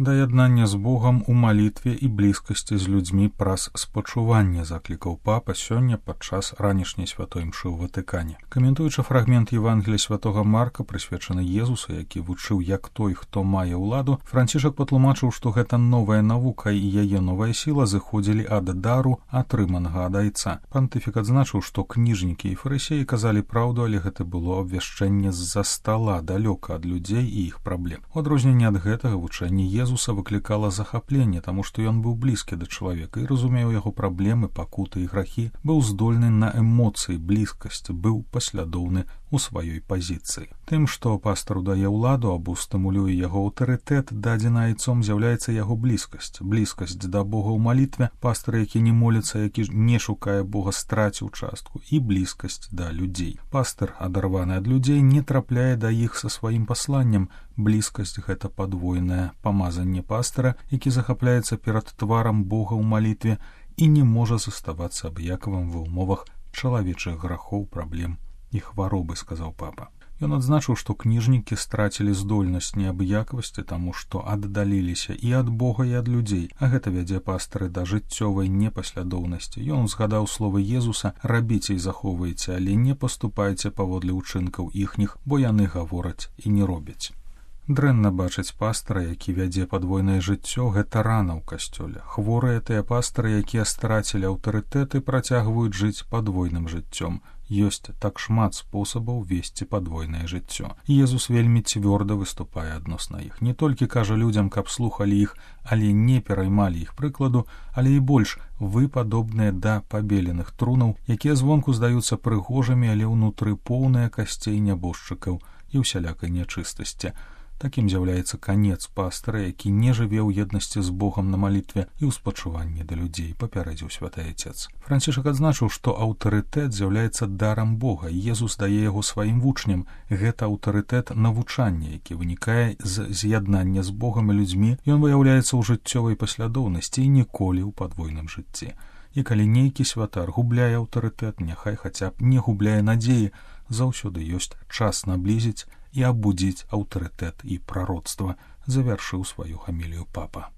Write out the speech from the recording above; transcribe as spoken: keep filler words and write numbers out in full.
Да яднання з Богам у малітве і блізкасці з людзьмі праз спачуванне, заклікаў папа сёння падчас ранішняй святой мшы ў Ватыкане. Каментуючы фрагмент Евангелія святога Марка, прысвечаны Езуса, які вучыў як той, хто мае ўладу, Францішак патлумачыў, што гэта новая навука і яе новая сіла зыходзілі ад дару, атрыманага ад айца. Пантыфік адзначыў, што кніжнікі і фарысеі казалі праўду, але гэта было абвяшчэнне з-за стала, далёка ад людзей і іх праблем. У адрозненне ад гэтага вучэнне Езуса выклікала захапленне, таму што ён быў блізкі да чалавека і разумеў яго праблемы, пакуты і грахі, быў здольны на эмоцыі, блізкасць, быў паслядоўны у сваёй пазіцыі. Тым, што пастару дае ўладу або стымулюе яго аўтарытэт, дадзена айцом з'яўляецца яго блізкасць. Блізкасць да Бога ў малітве, пастар, які не моліцца, які не шукае Бога, страціў частку, і блізкасць да людзей. Пастар, адарваны ад людзей, не трапляе да іх са сваім пасланнем. Блізкасць — гэта падвойнае памазанне пастара, які захапляецца перад тварам Бога ў малітве і не можа заставацца абыякавым ва ўмовах чалавечых грахоў, праблем і хваробы, сказаў папа. Ён адзначыў, што кніжнікі страцілі здольнасць неабыякавасці, таму што аддаліліся і ад Бога, і ад людзей, а гэта вядзе пастары да жыццёвай непаслядоўнасці. Ён узгадаў словы Езуса: «Рабіце і захоўвайце, але не паступайце паводле ўчынкаў іхніх, бо яны гавораць і не робяць». Дрэнна бачыць пастара, які вядзе падвойнае жыццё, гэта рана ў касцёле. Хворыя тыя пастары, якія страцілі аўтарытэт і працягваюць жыць падвойным жыццём. Ёсць так шмат спосабаў весці падвойнае жыццё. Езус вельмі цвёрда выступае адносна іх. Не толькі кажа людзям, каб слухалі іх, але не пераймалі іх прыкладу, але і больш: вы падобныя да пабеленых трунаў, якія звонку здаюцца прыгожымі, але ўнутры поўныя касцей нябожчыкаў і ўсялякай нячыстасці. Такім з'яўляецца канец пастара, які не жыве ў еднасці з Богам на малітве і ў спачуванні да людзей, папярэдзіў святы айцец. Францішак адзначыў, што аўтарытэт з'яўляецца дарам Бога, і Езус дае яго сваім вучням. Гэта аўтарытэт навучання, які вынікае з з'яднання з Богам і людзьмі. Ён выяўляецца ў жыццёвай паслядоўнасці і ніколі ў падвойным жыцці. І калі нейкі святар губляе аўтарытэт, няхай хаця б не губляе надзеі, заўсёды ёсць час наблізіць і абудзіць аўтарытэт і прароцтва, завяршыў сваю гамілію папа.